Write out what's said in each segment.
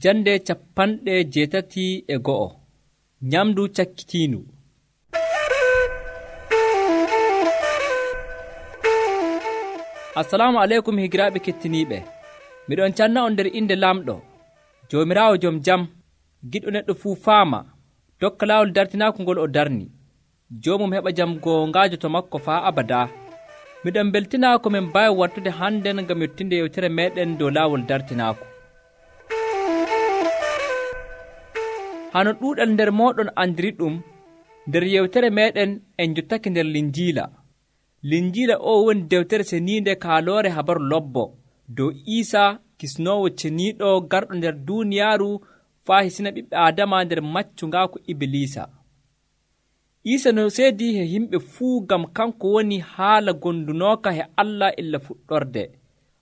Jande 81 Nyamdu cakkitiindu. Assalamu aleykum higiraaɓe kettiniiɓe. Miɗon canna on nder inde Lamɗo, Joomiraawo jom jam, giɗɗo neɗɗo fuu faama, tokka laawol dartinaaku ngol o darni. Joomum heɓa jam goongaajo to makko faa abadaa. Miɗon beltinaa ko min mbaawi wattude hannden ngam yottinde yewtere meeɗen dow laawol dartinaaku. Hano ɗuuɗal nder mooɗon andiri ɗum, nder yewtere meeɗen en jottake nder Linjiila. Linjiila o woni dewtere seniinde kaaloore habaru lobbo dow Iisaa kisnoowo ceniiɗo garɗo nder duuniyaaru faa hisina ɓiɓɓe Aadama nder maccungaaku Ibiliisa. Iisaa no seedii he yimɓe fuu ngam kanko woni haala gondunooka he Allah illa fuɗɗorde,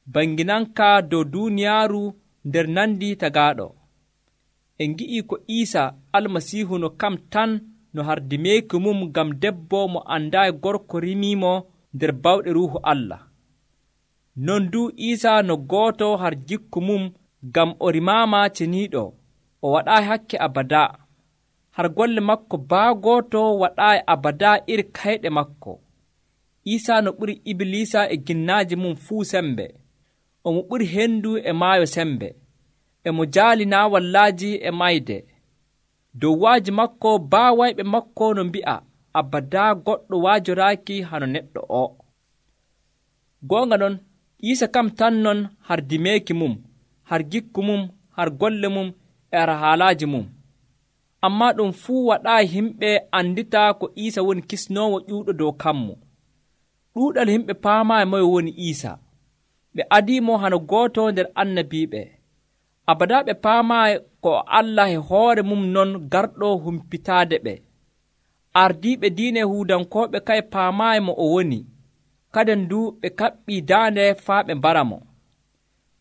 banginanka dow duuniyaaru nder nandi tagaaɗo. En ngi'ii ko Iisaa Almasiihu no kam tan no hardimeeki mum ngam debbo mo andaayi gorko rimiimo nder bawɗe Ruuhu Allah. Non du Iisaa no gooto har jikku mum ngam o rimaama ceniiɗo, o waɗaayi hakke abadaa. Har golle makko baa gooto waɗaayi abadaa iri kayɗe makko. Iisaa no ɓuri Ibiliisa e ginnaaji mum fuu sembe. Omo ɓuri hendu e maayo sembe. Emo jaali naawallaaji e mayde. Dow waaji makko baa wayɓe makko no mbi'a abadaa goɗɗo waajoraaki hano neɗɗo o. Goonga non, Iisaa kam tan non hardimeeki mum, har gikku mum, har golle mum e har haalaaji mum. Ammaa ɗum fuu waɗaayi himɓe anditaa ko Iisaa woni kisnoowo ƴuuɗo dow kammu. Ɗuuɗal himɓe paamaayi moye woni Iisaa. Ɓe adiimo hano gooto nder annabiiɓe. Abadaa ɓe paamaayi ko Allah e hoore mum non garɗo humpitaade ɓe. Ardiiɓe diine Yahuudankooɓe kay paamaayi mo o woni, kaden du ɓe kaɓɓii daande faa ɓe mbara mo.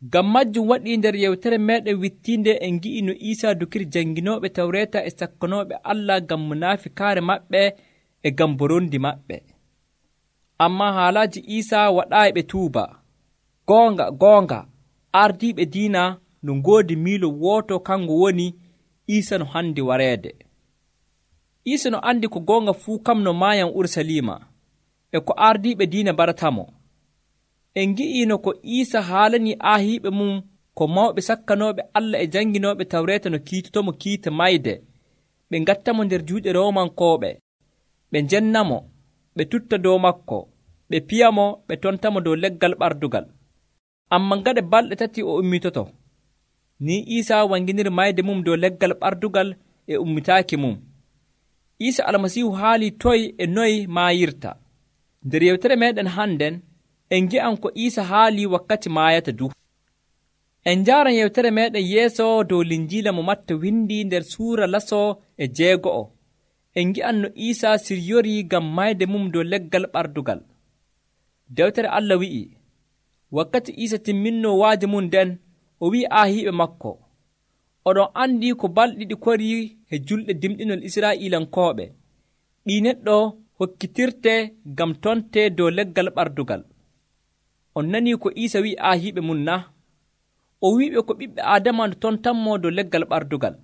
Ngam majjum waɗii nder yewtere meeɗen wittiinde en ngi'i no Iisaa dukiri janginooɓe Tawreeta e sakkanooɓe Allah ngam munaafikaare maɓɓe e ngam borondi maɓɓe. Ammaa haalaaji Iisaa waɗaayi ɓe tuuba. Goonga, ardiiɓe diina no ngoodi miilo wooto kango woni Iisaa no handi wareede. Iisaa no andi ko goonga fuu kam no maayan Ursaliima, e ko ardiiɓe diina baratamo. En ngi'iino ko Iisaa haalanii aahiiɓe mum ko mawɓe sakkanooɓe Allah e janginooɓe Tawreeta no kiitotomo kiita mayde, ɓe ngattamo nder juuɗe Roomankooɓe, ɓe njennamo, ɓe tutta dow makko, ɓe piyamo, ɓe tontamo dow leggal ɓardugal. Ammaa gaɗa balɗe 3 o ummitoto. Ni Iisaa wanginiri mayde mum dow leggal ɓardugal e ummitaaki mum. Iisaa Almasiihu haalii toy e noy maayirta. Nder yewtere meeɗen hannden, en ngi'an ko Iisaa haalii wakkati maayata du. En njaaran yewtere meeɗen yeeso dow Linjiila mo Matta windi nder suura 6. En ngi'an no Iisaa siryorii ngam mayde mum dow leggal ɓardugal. Dewtere Allah wi'i, wakkati Iisaa timminnoo waaji mum nden, o wi'i aahiiɓe makko, oɗon andi ko balɗe 2 korii he julɗe dimɗinol Israa'iilankooɓe. Ɗii neɗɗo hokkitirte ngam tonte dow leggal ɓardugal. On nanii ko Iisaa wi'i aahiiɓe mum na? O wi'iɓe ko ɓiɓɓe Aadama no tontanmo dow leggal ɓardugal.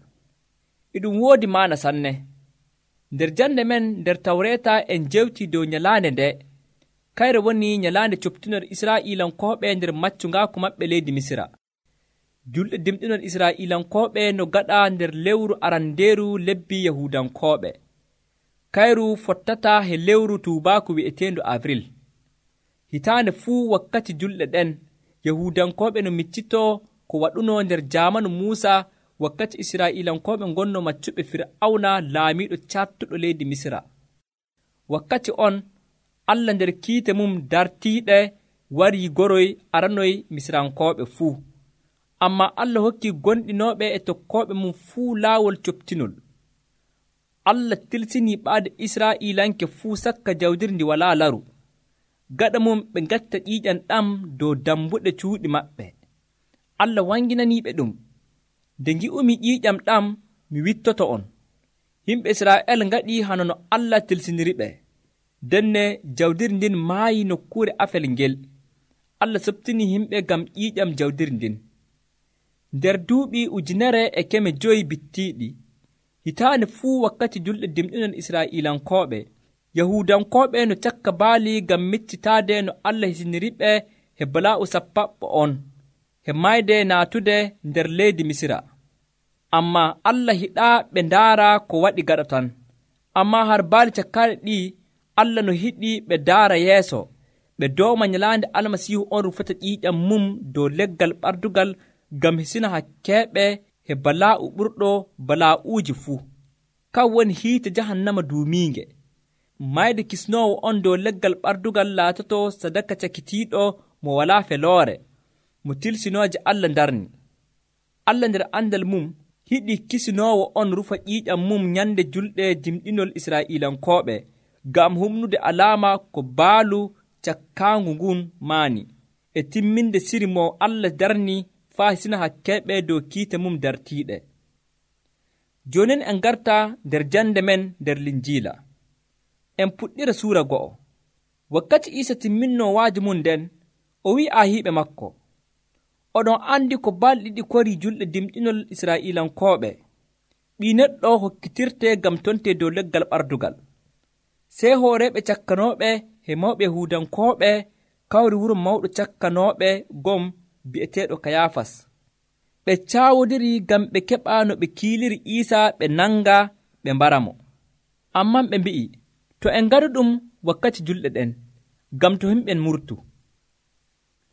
E ɗum woodi maana sanne. Nder jande men nder Tawreeta en jewtii dow nyalaande nde, kayre woni nyalaande coptinol Israa'iilankooɓe nder maccungaaku maɓɓe leydi Misira. Julɗe dimɗinol Israa'iilankooɓe no gaɗa nder lewru arandeeru lebbi Yahuudankooɓe. Kayru fottata he lewru tuubaaku wi'eteendu Avril. Hitaande fuu wakkati julɗe ɗen, Yahuudankooɓe no miccitoo ko waɗunoo nder jaamanu Muusa wakkati Israa'iilankooɓe ngonno maccuɓe Fir'awna laamiiɗo cattuɗo leydi Misira. Wakkati on, Allah nder kiite mum dartiiɗe warii goroy aranoy Misirankooɓe fuu. Ammaa Allah hokkii gonɗinooɓe e tokkooɓe mum fuu laawol coptinol. Allah tilsinii ɓaade Israa'iilanke fuu sakka jawdiri ndi walaa laru. Gaɗa mum ɓe ngatta ƴiiƴam ɗam dow dambuɗe cuuɗi maɓɓe. Allah wanginaniiɓe ɗum. Nde ngi'umi ƴiiƴam ɗam, mi wittoto on. Yimɓe Israa'el ngaɗii hano no Allah tilsiniriɓe. Denne jawdiri ndin maayi nokkuure afel ngel. Allah soɓtinii yimɓe ngam ƴiiƴam jawdiri ndin. nder duuɓi 1,500 bittiiɗi. Hitaande fuu wakkati julɗe dimɗinol Israa'iilankooɓe, Yahuudankooɓe no cakka baali ngam miccitaade no Allah hisiniriɓe he balaa'u sappaɓɓo on, he mayde naatude nder leydi Misira. Ammaa Allah hiɗaa ɓe ndaara ko waɗi gaɗa tan. Ammaa har baali cakkaaɗe ɗi, Allah no hiɗi ɓe ndaara yeeso, ɓe dooma nyalaande Almasiihu on rufata ƴiiƴam mum dow leggal ɓardugal ngam hisina hakkeeɓe he balaa'u ɓurɗo balaa'uuji fuu. Kan woni hiite jahannama duumiinge. Mayde kisnoowo on dow leggal ɓardugal laatoto sadaka cakitiiɗo mo walaa feloore, mo tilsinooje Allah ndarni. Allah nder andal mum hiɗi kisinoowo on rufa ƴiiƴam mum nyande julɗe dimɗinol Israa'iilankooɓe ngam humnude alaama ko baalu cakkaangu ngun maani, e timminde siri mo Allah darni faa hisina hakkeeɓe dow kiite mum dartiiɗe. Joonin en garta nder jande men nder Linjiila. En puɗɗira suura 2. Wakkati Iisa timminnoo waaji mum nden, o wi'i aahiiɓe makko, oɗon andi ko balɗe ɗiɗi korii julɗe dimɗinol Israa'iilankooɓe. Ɓii neɗɗo hokkitirte ngam tonte dow leggal ɓardugal. Sey hooreeɓe cakkanooɓe he mawɓe Yahuudankooɓe kawri wuro mawɗo cakkanooɓe gom bi'eteeɗo Kayaafas. Ɓe caawodiri ngam ɓe keɓa no ɓe kiiliri Iisa ɓe nanga ɓe mbara mo. Amman ɓe mbi'i, to en ngaɗu ɗum wakkati julɗe ɗen, ngam to himɓen murtu.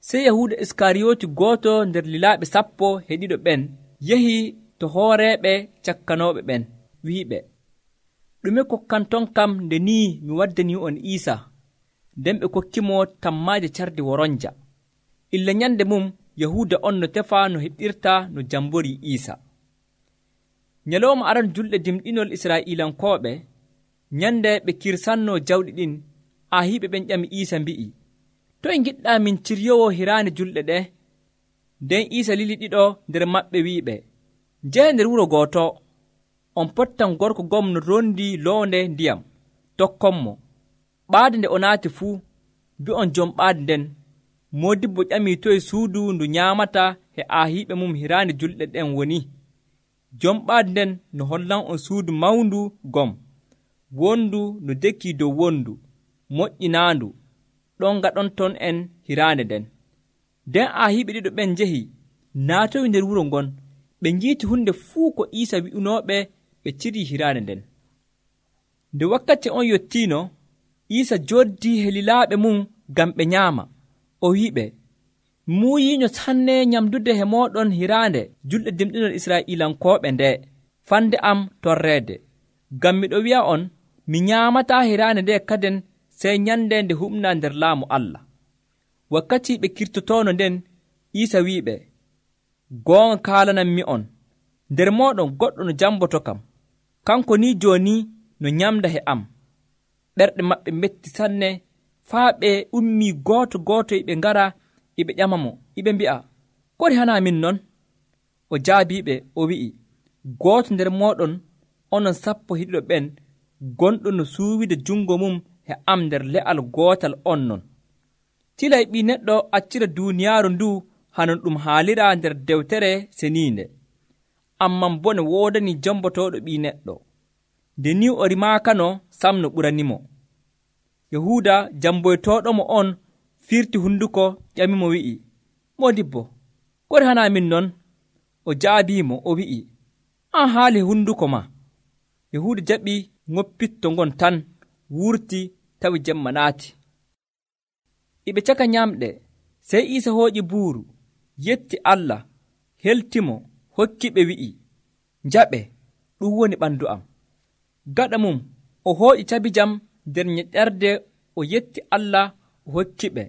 Sey Yahuuda Iskariyooti gooto nder lilaaɓe 12 ɓen yehi to hooreeɓe cakkanooɓe ɓen, wi'iɓe, ɗume kokkanton kam nde nii mi waddanii on Iisa? Nden ɓe kokkimo tammaaje cardi woronja. Illa nyande mum Yahuuda on no tefa no heɓirta no jamborii Iisa. Nyalawma aran julɗe dimɗinol Israa'iilankooɓe, nyande ɓe kirsannoo jawɗi ɗin, aahiiɓe ɓen ƴami Iisa mbi'i, toye ngiɗɗaa min ciryowo hiraande julɗe ɗe? Nden Iisa lili ɗiɗo nder maɓɓe wi'iɓe, njehe nder wuro gooto, on pottan gorko gom no rondi loonde ndiyam, tokkonmo. Ɓaade nde o naati fuu, mbi'on jom ɓaade nden, moodibbo ƴamii toye suudu ndu nyaamata he aahiiɓe mum hiraande julɗe ɗen woni. Jom ɓaade nden no hollan on suudu mawndu gom, wondu no dekkii dow wondu, moƴƴinaandu, ɗon gaɗon ton en hiraande nden. Nden aahiiɓe ɗiɗo ɓen njehi, naatoyi nder wuro ngon, ɓe njiiti hunde fuu ko Iisa wi'unooɓe, ɓe cirii hiraande nden. Nde wakkati on yottiino, Iisa jooddii he lilaaɓe mum ngam ɓe nyaama. O wi'iɓe, muuyiinyo sanne nyamdude he mooɗon hiraande julɗe dimɗinol Israa'iilankooɓe nde, fande am torreede. Ngam miɗo wi'a on, mi nyaamataa hiraande nde kaden sey nyande nde humnaa nder laamu Allah. Wakkati ɓe kirtotoono nden, Iisa wi'iɓe, goonga kaalanammi'on, nder mooɗon goɗɗo no jamboto kam, kanko ni jooni no nyamda he am. Ɓerɗe maɓɓe metti sanne, faa ɓe ummii gooto gooto iɓe ngara iɓe ƴama mo, iɓe mbi'a, kodi hana min non? O jaabiiɓe, o wi'i, gooto nder mooɗon, onon 12 ɓen, gonɗo no suuwide jungo mum he am nder le'al gootal on non. Tilay ɓii neɗɗo accira duuniyaaru ndu hanon ɗum haalira nder dewtere seniinde. Amman bone woodani jambotooɗo ɓii neɗɗo. Nde ni o rimaakano sam no ɓuranimo. Yahuuda jamboytooɗomo on firti hunduko ƴamimo wi'i, moodibbo, kodi hana min non? O jaabiimo o wi'i, an haali hunduko ma. Yahuuda jaɓi ŋoppitto ngon tan, wurti tawi jemma naati. Iɓe caka nyamɗe, sey Iisa hooƴi buuru, yetti Allah, heltimo, hokkiɓe wi'i, njaɓe, ɗum woni ɓandu am. Gaɗa mum, o hooƴi cabijam nder ñeɗerde, o yetti Allah, o hokkiɓe,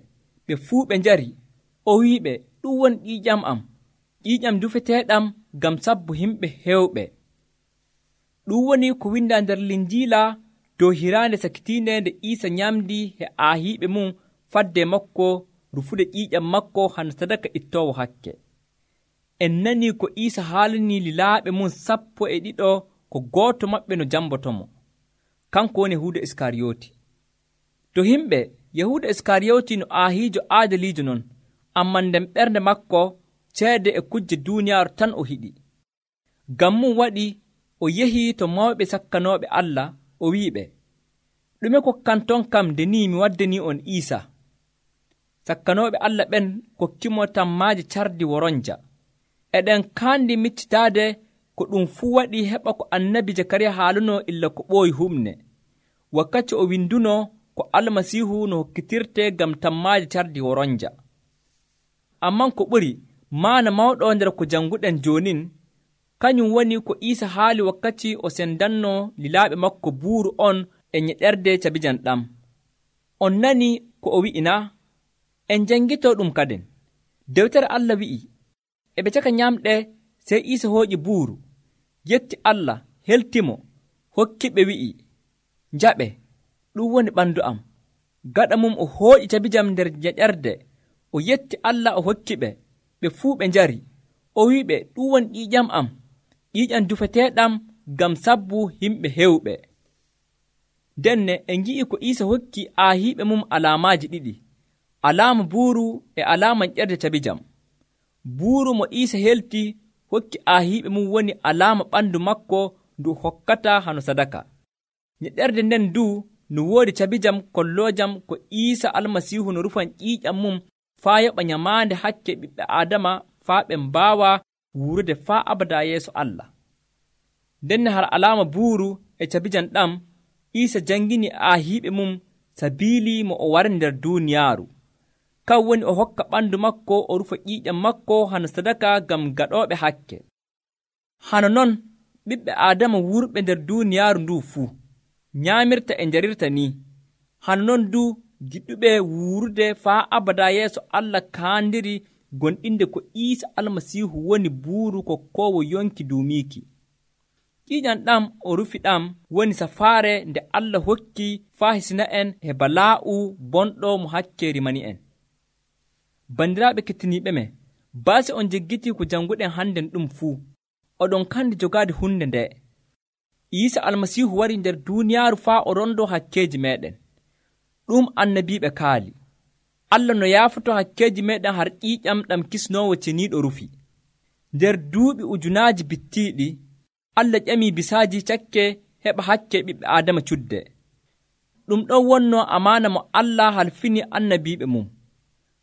ɓe fuu ɓe njari, o wi'iɓe, ɗum woni ƴiiƴam am, ƴiiƴam dufeteeɗam ngam sabbu himɓe heewɓe. Ɗum woni ko windaa nder Linjiila dow hiraande sakitiinde nde Iisa nyamdi he aahiiɓe mum fadde makko rufude ƴiiƴam makko hana sadaka ittoowo hakke. En nanii ko Iisa haalanii lilaaɓe mum 12 ko gooto maɓɓe no jambotomo. Kanko woni Yahuuda Iskariyooti. To himɓe, Yahuuda Iskariyooti no aahiijo aadaliijo non, amman nden ɓernde makko ceede e kujje duuniyaaru tan o hiɗi. Ngam mum waɗi o yehii to mawɓe sakkanooɓe Allah o wi'iɓe, ɗume kokkanton kam nde ni mi waddanii on Iisa? Sakkanooɓe Allah ɓen kokkimo tammaaje cardi woronja. Eɗen kaandi miccitaade ko ɗum fuu waɗi heɓa ko annabi Jakariya haalunoo illa ko ɓooyi humne, wakkati o windunoo ko Almasiihu no hokkitirtee ngam tammaaje cardi woronja. Amman ko ɓuri maana mawɗo nder ko jannguɗen joonin, kañum woni ko Iisa haali wakkati o sendannoo lilaaɓe makko buuru on e nyeɗerde cabijam ɗam. On nani ko o wi'i naa? En janngitoo ɗum kaden. Dewtere Allah wi'i, e ɓe caka nyamɗe sey Iisa hooƴi buuru, yetti Allah, heltimo, hokkiɓe wi'i, njaɓe, ɗum woni ɓandu am. Gaɗa mum o hooƴi cabijam nder nyeɗerde, o yetti Allah o hokkiɓe, ɓe fuu ɓe njari. O wi'iɓe, ɗum woni ƴiiƴam am, ƴiiƴam dufeteeɗam ngam sabbu yimɓe hewɓe. Denne en ngi'i ko Iisa hokki aahiiɓe mum alaamaaji ɗiɗi, alaama buuru e alaama nyeɗerde cabijam. Buuru mo Iisa helti hokki aahiiɓe mum woni alaama ɓandu makko ndu hokkata hano sadaka. Nyeɗerde nden du no woodi cabijam kolloojam ko Iisa Almasiihu no rufan ƴiiƴam mum faa yoɓa nyamaande hakke ɓiɓɓe Aadama faa ɓe mbaawa wuurude faa abada yeeso Allah. Denne har alaama buuru e cabijam ɗam Iisa jangini aahiiɓe mum sabiili mo o wari nder duuniyaaru. Kan woni o hokka ɓandu makko o rufa ƴiiƴam makko hano sadaka ngam gaɗooɓe hakke. Hano non ɓiɓɓe Aadama wurɓe nder duuniyaaru ndu fuu nyaamirta e njarirta ni. Hano non du giɗɗuɓe wuurude faa abada yeeso Allah kaandiri gonɗinde ko Iisa Almasiihu woni buuru kokkoowo yonki duumiiki. Ƴiiƴam ɗam o rufi ɗam woni safaare nde Allah hokki faa hisina en e balaa'u bonɗo mo hakke rimani en. Bandiraaɓe kettiniiɓe me, baasi on jeggitii ko jannguɗen hannden ɗum fuu, oɗon kandi jogaade hunde nde. Iisa Almasiihu wari nder duuniyaaru faa o rondoo hakkeeji meeɗen. Ɗum annabiiɓe kaali. Allah no yaafoto hakkeeji meeɗen har ƴiiƴam ɗam kisnoowo ceniiɗo rufi. Nder duuɓi ujunaaji bittiiɗi, Allah ƴamii bisaaji cakke heɓa hakke ɓiɓɓe Aadama cudde. Ɗum ɗon wonnoo amaana mo Allah halfini annabiiɓe mum.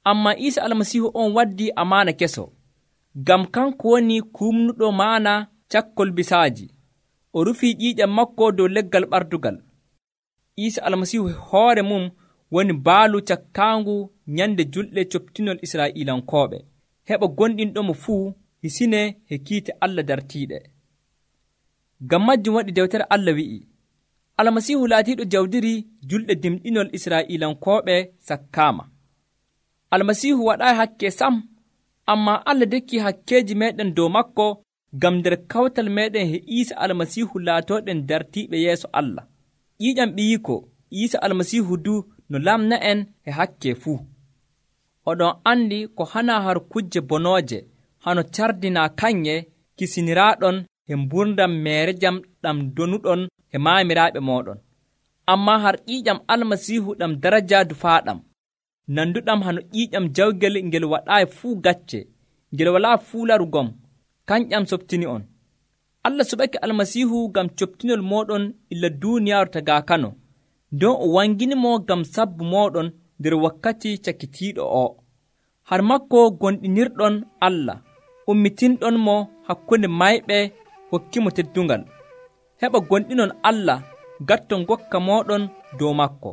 Ammaa Iisa Almasiihu on waddii amaana keso, ngam kanko woni kumnuɗo maana cakkol bisaaji. O rufii ƴiiƴam makko dow leggal ɓardugal. Iisa Almasiihu hoore mum woni baalu cakkaangu nyande julɗe coptinol Israa'iilankooɓe, heɓa gonɗinɗomo fuu hisinee he kiite Allah dartiiɗe. Ngam majjum waɗi dewtere Allah wi'i, Almasiihu laatiiɗo jawdiri julɗe dimɗinol Israa'iilankooɓe sakkaama. Almasiihu waɗaayi hakke sam, ammaa Allah dekki hakkeeji meeɗen dow makko ngam nder kawtal meeɗen he Iisa Almasiihu laatooɗen dartiiɓe yeeso Allah. Ƴiiƴam ɓiyiiko Iisa Almasiihu du no lamna en he hakke fuu. Oɗon andi ko hana har kujje bonooje hano cardinaa kanye kisiniraaɗon he mburdam meerejam ɗam donuɗon he maamiraaɓe mooɗon. Ammaa har ƴiiƴam Almasiihu ɗam daraja dufaaɗam, nanduɗam hano ƴiiƴam jawgel ngel waɗaayi fuu gacce, ngel walaa fuu larugom, kanƴam softini on. Allah suɓake Almasiihu ngam coptinol mooɗon illa duuniyaaru tagaa kano, nden o wanginimo ngam sabbu mooɗon nder wakkati cakkitiiɗo o. Har makko gonɗinirɗon Allah, ummitinɗon mo hakkunde mayɓe hokkimo teddungal. Heɓa gonɗinon Allah, gatton gokka mooɗon dow makko.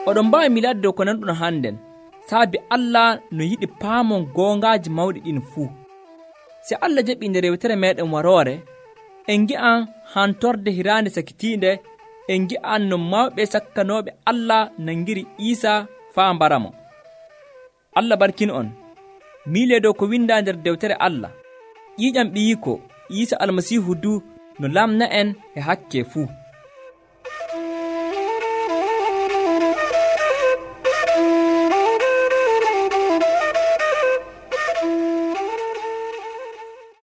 Oɗon mbaawi milaade dow ko nanɗon hannden, saabi Allah no yiɗi paamon goongaaji mawɗi ɗin fuu. Si Allah jaɓii nde rewtere meeɗen waroore, en ngi'an hantorde hiraande sakitiinde, en ngi'an no mawɓe sakkanooɓe Allah nangiri Iisa faa mbaramo. Allah barkin on, miilee dow ko windaa nder dewtere Allah. Ƴiiƴam ɓiyiiko Iisa Almasiihu du no lamna en e hakke fuu.